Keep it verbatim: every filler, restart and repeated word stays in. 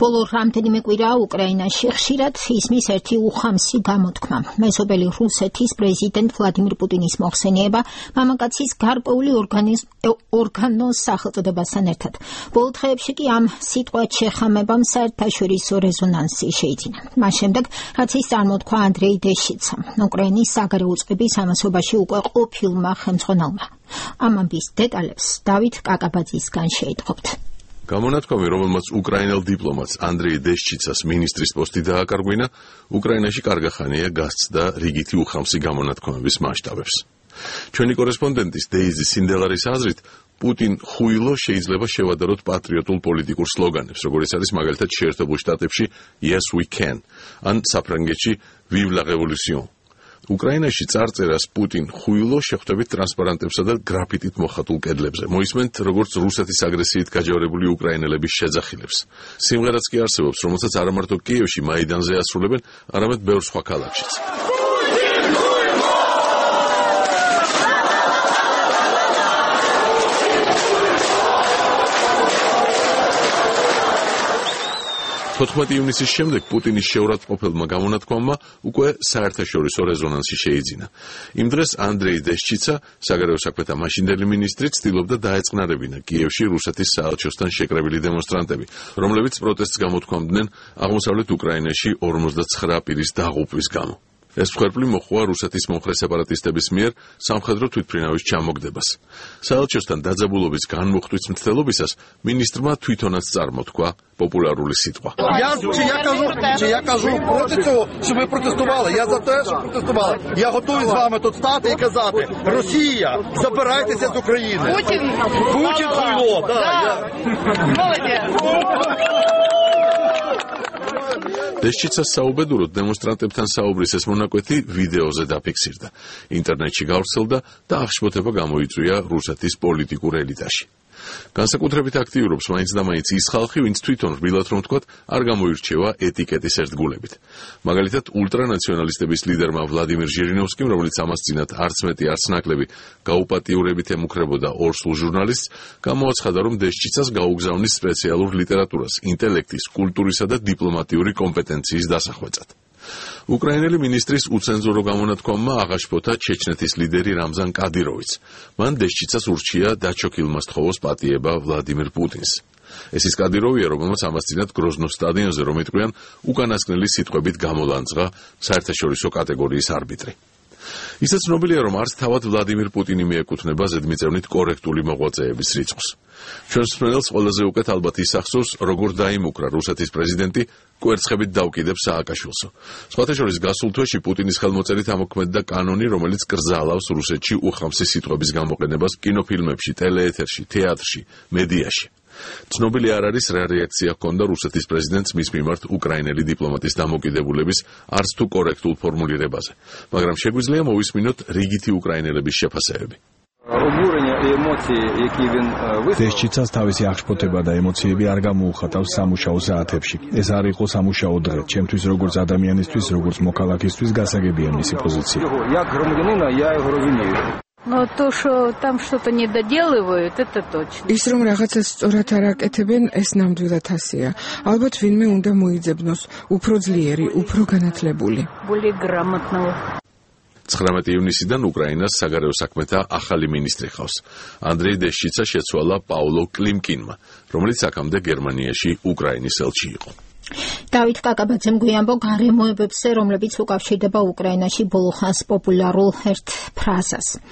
ბოლო რამდენიმე კვირაა უკრაინაში ხშირად ისმის ერთი უხამსი გამოთქმა. მეზობელი რუსეთის პრეზიდენტ ვლადიმირ პუტინის მოხსენიება მამაკაცის გარკვეული ორგანოს სახელწოდებასთან ერთად. ბოლო დღეებში კი ამ სიტყვად შეხამებამ საერთაშორისო რეზონანსი შეიძინა. მას შემდეგ, რაც ის წარმოთქვა ანდრეი დეშჩიცამ, უკრაინის საგარეო წყების ამასობაში უკვე ყოფილმა ხელმძღვანელმა. ამ ამბის დეტალებს დავით კაკაბაძისგან შეიტყობთ. გამონათქვამი, რომელმაც უკრაინელ დიპლომატს ანდრეი დეშჩიცას მინისტრის პოსტი დააკარგვინა, უკრაინაში კარგახანია გასცდა რიგითი უხამსი გამონათქვამების მასშტაბებს. ჩვენი კორესპონდენტის დეიზი სინდელარის აზრით, პუტინ ხუილო შეიძლება შევადაროთ პატრიოტულ პოლიტიკურ სლოგანებს, როგორიც არის მაგალითად შეერთებულ შტატებში Yes we can, ან საფრანგეთში Vive la révolution. უკრაინაში წარწერას პუტინ ხუილო შეხვდებით ტრანსპარანტებსა და გრაფიტით მოხატულ კედლებზე. მოისმენთ, როგორც რუსეთის აგრესიით გაჯავრებული უკრაინელების შეძახილებს. სიმღერაც კი არსებობს, რომელსაც არა მარტო კიევში მაიდანზე ასრულებენ, არამედ ბევრ სხვა ქალაქშიც. თოთხმეტი ივნისის შემდეგ პუტინის შეურაცხყოფელმა გამონათქვამმა უკვე საერთაშორისო რეზონანსი შეიძინა. იმ დღეს ანდრეი დეშჩიცა, საგარეო საქმეთა მაშინდელი მინისტრი, ცდილობდა დაეწყნარებინა კიევში რუსეთის საელჩოსთან შეკრებილი დემონსტრანტები, რომლებიც პროტესტს გამოთქვამდნენ აღმოსავლეთ უკრაინაში ორმოცდაცხრა პირის დაღუპვის გამო. ეს მსხვერპლი მოჰყვა რუსეთის მომხრე სეპარატისტების მიერ სამხედრო თვითმფრინავის ჩამოგდებას. საელჩოსთან დაძაბულობის განმუხტვის მცდელობისას მინისტრმა თვითონაც წარმოთქვა популярული ситва. Я, чи я кажу, чи я кажу проти цього, щоб ви протестували. Я за те, щоб протестували. Я готовий з вами тут стати і казати: Росія, забирайтеся з України. Путін. Путін хуйло, да. Я... Молодець. დეშჩიცას საუბედუროდ დემონსტრანტებთან საუბრის ეს მონაკვეთი ვიდეოზე დაფიქსირდა. ინტერნეტში გავრცელდა და აღშფოთება გამოიწვია რუსეთის პოლიტიკურ ელიტაში. განსაკუთრებით აქტიურობს მაინც და მაინც ის ხალხი, ვინც თვითონ რბილად რომ ვთქვათ, არ გამოირჩევა ეტიკეტის ერთგულებით. მაგალითად, ულტრანაციონალისტების ლიდერმა ვლადიმირ ჟირინოვსკიმ, რომელიც ამას წინათ არც მეტი არც ნაკლები გაუპატიურებით ემუქრებოდა ორსულ ჟურნალისტს, გამოაცხადა, რომ დეშჩიცას გაუგზავნის სპეციალურ ლიტერატურას, ინტელექტის, კულტურისა და დიპლომატიური კომპეტენციის დასახვეწად. უკრაინელი მინისტრის უცენზურო გამონათქვამმა აღაშფოთა ჩეჩნეთის ლიდერი რამზან კადიროვიც. მან დეშჩიცას ურჩია დაჩოქილმა სთხოვოს პატიება ვლადიმირ პუტინს. ეს ის კადიროვია, რომელმაც ამას წინათ გროზნოს სტადიონზე, რომ იტყვიან, უკანასკნელი სიტყვებით გამოლანძღა საერთაშორისო კატეგორიის არბიტრი. ისაც ცნობილია, რომ არც თავად ვლადიმირ პუტინი მიეკუთვნება ზედმიწევნით კორექტული მოღვაწეების რიცხვს. ჩვენს მსმენელს ყველაზე უკეთ ალბათ ისახსოვს, როგორ დაიმუქრა რუსეთის პრეზიდენტი კვერცხებით დაუკიდებს სააკაშვილსო. სხვათა შორის გასულ თვეში პუტინის ხელმოწერით ამოქმედდა კანონი, რომელიც კრძალავს რუსეთში უხამსი სიტყვების გამოყენებას კინოფილმებში, ტელეეთერში, თეატრში, მედიაში. ცნობილი არ არის რა რეაქცია ჰქონდა რუსეთის პრეზიდენტს მის მიმართ უკრაინელი დიპლომატის დამოკიდებულების არც თუ კორექტულ ფორმულირებაზე, მაგრამ შეგვიძლია მოვისმინოთ რიგითი უკრაინელების შეფასებები. დეშჩიცას თავისი აღშფოთება და ემოციები არ გამოუხატავს სამუშაო საათებში. ეს არ იყო სამუშაო დღე. ჩემთვის როგორც ადამიანისთვის, როგორც მოქალაქისთვის გასაგებია მისი პოზიცია. Но то, что там что-то не доделывают, это точно. ის რომ რაღაცას სწორად არ აკეთებენ, ეს ნამდვილად ასეა. ალბათ ვინმე უნდა მოიძებნოს, უფრო ძლიერი, უფრო განათლებული. Более грамотного. ცხრამეტი ივნისიდან უკრაინას საგარეო საქმეთა ახალი მინისტრი ხავს. ანდრეი დეშჩიცა შეცვალა პაულო კლიმკინმა, რომელიც აქამდე გერმანიაში უკრაინის ელჩი იყო. დავით კაკაბაძემ გვიამბო გარემოებებზე, რომლებიც უკავშირდება უკრაინაში ბოლო ხანს პოპულარულ ერთ ფრაზას.